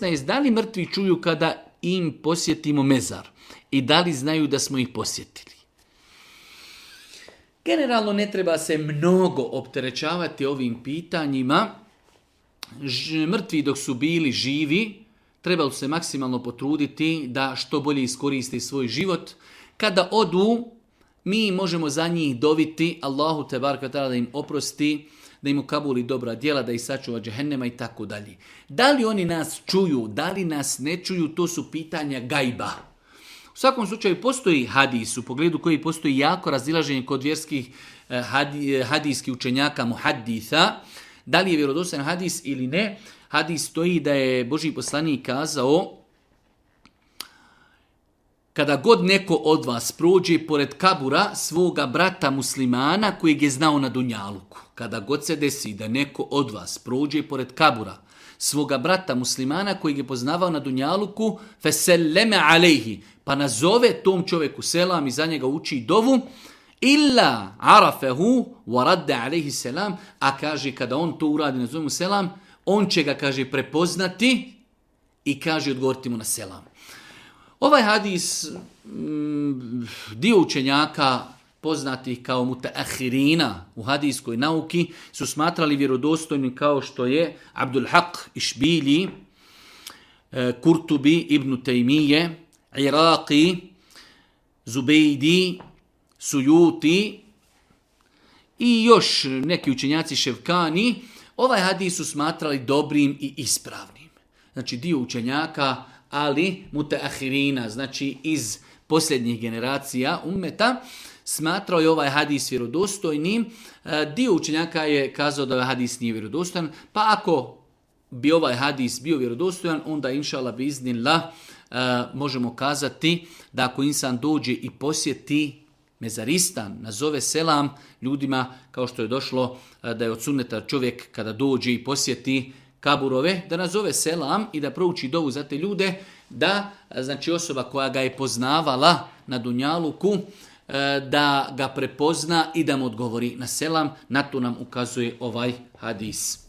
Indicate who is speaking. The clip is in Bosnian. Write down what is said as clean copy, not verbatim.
Speaker 1: 16. Da li mrtvi čuju kada im posjetimo mezar? I da li znaju da smo ih posjetili? Generalno ne treba se mnogo opterećavati ovim pitanjima. Mrtvi dok su bili živi, trebalo se maksimalno potruditi da što bolje iskoriste svoj život. Kada odu, mi možemo za njih doviti Allahu tebaraka ta'ala da im oprosti, da im ukabuli dobra djela, da ih sačuva džehennema i tako dalje. Da li oni nas čuju, da li nas ne čuju, to su pitanja gajba. U svakom slučaju postoji hadis, u pogledu koji postoji jako razilaženje kod vjerskih hadijskih učenjaka muhadditha, da li je vjerodostojan hadis ili ne. Hadis stoji da je Božji poslanik kazao: kada god neko od vas prođe pored kabura svoga brata muslimana kojeg je znao na dunjaluku, kada god se desi da neko od vas prođe pored kabura svoga brata muslimana kojeg je poznavao na dunjaluku, feselleme alejhi, pa nazove tom čovjeku selam i za njega uči dovu, illa arafehu wa radde alejhi selam, a kaže kada on to uradi, nazove mu selam, on će ga, kaže, prepoznati i kaže odgovoriti mu na selam. Ovaj hadis dio učenjaka poznatih kao mutaahirina u hadijskoj nauki su smatrali vjerodostojnim, kao što je Abdul Haq Išbili, Kurtubi, Ibn Taymije, Iraqi, Zubejdi, Sujuti i još neki učenjaci Ševkani. Ovaj hadis su smatrali dobrim i ispravnim. Znači dio učenjaka, ali mutaahirina, znači iz posljednjih generacija ummeta, smatrao je ovaj hadis vjerodostojnim. Dio učenjaka je kazao da ovaj hadis nije vjerodostojan, pa ako bi ovaj hadis bio vjerodostojan, onda inšallah biiznillah možemo kazati da ako insan dođe i posjeti mezaristan, nazove selam ljudima, kao što je došlo da je od sunneta čovjek kada dođe i posjeti kaburove, da nazove selam i da prouči dovu za te ljude, da znači osoba koja ga je poznavala na dunjaluku, da ga prepozna i da mu odgovori na selam. Na to nam ukazuje ovaj hadis.